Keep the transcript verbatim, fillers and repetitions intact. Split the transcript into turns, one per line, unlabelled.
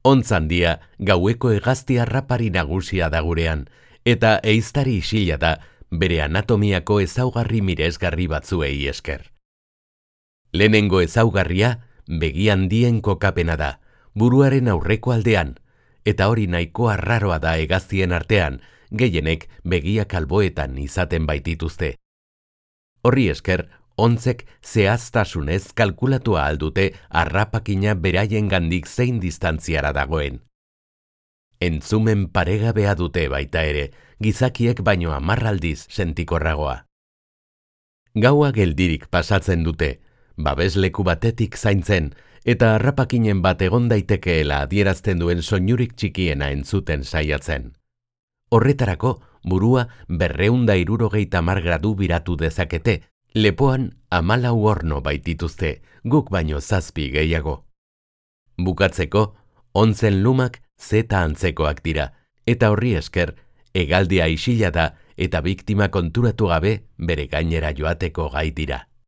Ontzandia gaueko hegazti harrapari nagusia da gurean, eta ehiztari isila da bere anatomiako ezaugarri miresgarri batzuei esker. Lehenengo ezaugarria begi handien kokapena da, buruaren aurreko aldean, eta hori nahiko arraroa da hegaztien artean, gehienek begiak alboetan izaten baitituzte. Horri esker, ontzek zehaztasunez kalkulatua aldute harrapakina beraien gandik zein distantziara dagoen. Entzumen paregabea dute baita ere, gizakiek baino hamarraldiz sentikorragoa. Gaua geldirik pasatzen dute, babesleku batetik zaintzen, eta harrapakinen bat egon daitekeela adierazten duen soinurik txikiena entzuten saiatzen. Horretarako, burua berreunda hirurogeita hamar gradu biratu dezakete, lepoan hamalau horno baitituzte, guk baino zazpi gehiago. Bukatzeko, ontzen lumak zeta antzekoak dira, eta horri esker, hegaldia isila da eta biktima konturatu gabe bere gainera joateko gai dira.